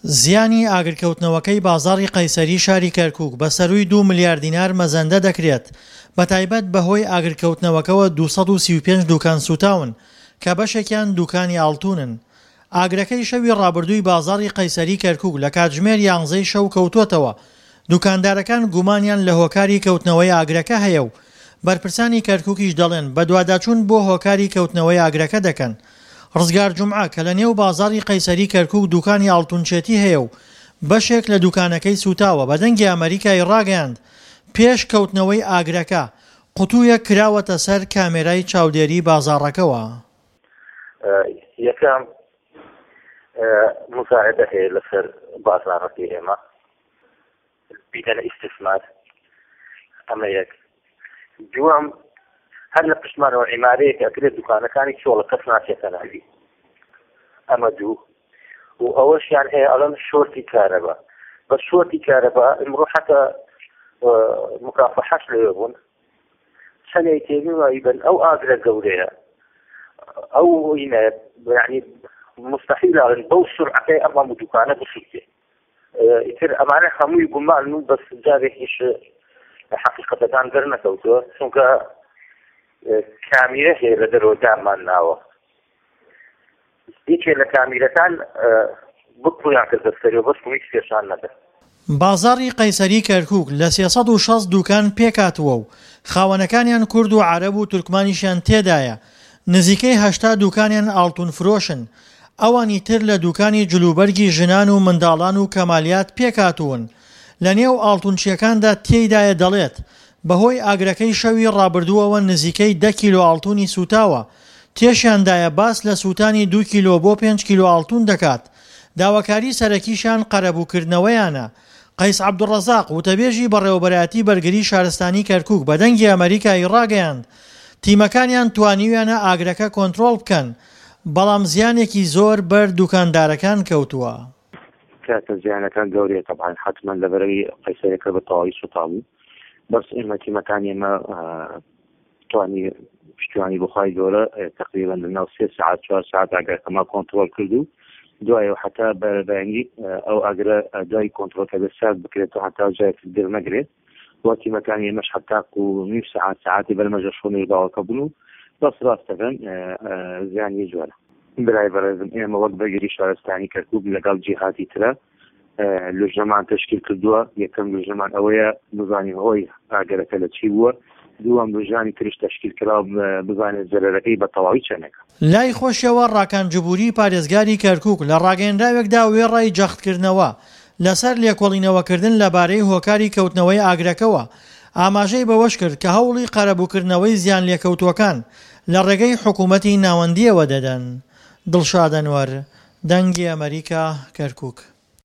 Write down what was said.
زیانی ئاگرکەوتنەوەکەی بازاڕی قەیسەری شاری کەرکوک بە سەرووی دوو ملیار دینار مەزەندە دەکرێت، بەتایبەت بەهۆی ئاگرکەوتنەوەکەوە 235 دوکان سووتاون کە بەشێکیان دوکانی ئاڵتوونن. ئاگرەکەی شەوی ڕابردووی بازاڕی قەیسەری کەرکوک لە کاتژمێر یانزەی شەو کەوتووەتەوە، دوکاندارەکان گومانیان لە هۆکاری کەوتنەوەی ئاگرەکە هەیە و بەرپرسانی کەرکوکیش دەڵێن بەدواداچوون بۆ هۆکاری کەوتنەوەی ئاگرەکە دەکەن. ڕزگار جومعە کە لە نێو بازاڕی قەیسەری کەرکوک دوکانی ئاڵتونچێتی هەیە و بەشێک لە دوکانەکەی سوتاوە بە دەنگی ئەمەریکای ڕاگەیاند پێش کەوتنەوەی ئاگرەکە قوتویەک کراوەتە سەر کامێرای چاودێری بازاڕەکەوە. یەکەم موزایەدە هەیە لەسەر بازاڕەکەی ئێمە بیدەنە ئیستثمار ئەمە یەک دووەم هەر لە پشتمانەوە عیمارەیەک ئەکرێت دوکانەکانی چۆڵە کەس ناچێتە ناوی ئەمە دوو و ئەوەشیان هەیە ئەڵەن شۆرتی کارەبا بە شۆرتی کارەبا ئمڕۆ حتا مکافحەش لەوێ بوون چەنێک تێبی وایی بن ئەو ئاگرە گەورەیە ئەو یعنی مستحیل بەو سرعەکەی ئەم هەموو دوکانە بسووتێ ئیتر ئەمانە هەمووی گومانن و بەس جارێکیش حەقیقەتەکان دەرنەکەوتووە چونکە کامیرە هەیە لە دەرەوە دامان ناوە یەکێ لە کامیرەکان بکویان کردە سەری و بەس هیچ پێشان نەدە. بازاڕی قەیسەری کەرکوک لە 360 دوکان پێکهاتووە و خاوەنەکانیان کورد و عەرەب و تورکمانیشیان تێدایە، نزیکەی 80 دوکانیان ئاڵتون فرۆشن، ئەوانی تر لە دوکانی جلوبەرگی ژنان و منداڵان و کەمالیات پێکهاتوون. لە نێو ئاڵتونچییەکاندا تێیدایە دەڵێت، بەهۆی ئاگرەکەی شەوی ڕابردووەوە نزیکەی دە کیلۆ ئاڵتونی سووتاوە، تێشیاندایە باس لە سووتانی دوو کیلۆ بۆ پێنج کیلۆ ئاڵتون دەکات، داواکاری سەرەکیشیان قەرەبووکردنەوەیانە. قەیس عەبدولڕەزاق، وتەبێژی بەڕێوەبەرایەتی بەرگری شارستانی کەرکوک بە دەنگی ئەمەریکای ڕاگەیاند، تیمەکانیان توانیویانە ئاگرەکە کۆنترۆڵ بکەن، بەڵام زیانێکی زۆر بەر دوکاندارەکان کەوتووە. کاکە زیانەکان گەورەیە تەبعەن حەتمەن لەبەرەوەی قەیسەرەکە بە تەواوی سوتابوو بەس ئێمە تیمەکانی ئێمە توانی پشتیوانی بخوای گەورە تقریبا لە ناو سێ ساعت چوار ساعت ئاگرەکەمان کۆنترۆل کرد و دوایەوە حتا بەیانی ئەو ئاگرە دوای کۆنترۆل کە سارد بکرێت و هەتا جای گر نەگرێت و تیمەکانی ئێمەش حتا و نیو سەعات سەعاتی بەرمەژە شۆنی ڕووداوەکە بوون و بەس ڕاست دەکەن زیانی زۆرە. برای بەڕێزم ئێمە وەک بەرگری شارستانی کەرکوک لەگەڵ جیهاتی ترە لوژنەمان تەشکیل کردووە یەکەم لوژنەمان ئەوەیە بزانین هۆی ئاگەرەکە لە چی بووە دووەم لوژنانی ترش تەشکیل کرا بزانێت زەرەرەکەی بە تەواوی چەندێکە. لای خۆشیەوە ڕاکان جبوری پارێزگاری کەرکوک لە ڕاگەیەنراوێکدا وێڕای جەختکردنەوە لەسەر لێکۆڵینەوەکردن لەبارەی هۆکاری کەوتنەوەی ئاگرەکەوە، ئاماژەی بەوەشکرد کە هەوڵی قەرەبووکردنەوەی زیانلێکەوتووەکان لە ڕێگەی حکوومەتی ناوەندییەوە دەدەن. دڵشاد ئەنوەر، دەنگی ئەمەریکا، کەرکوک.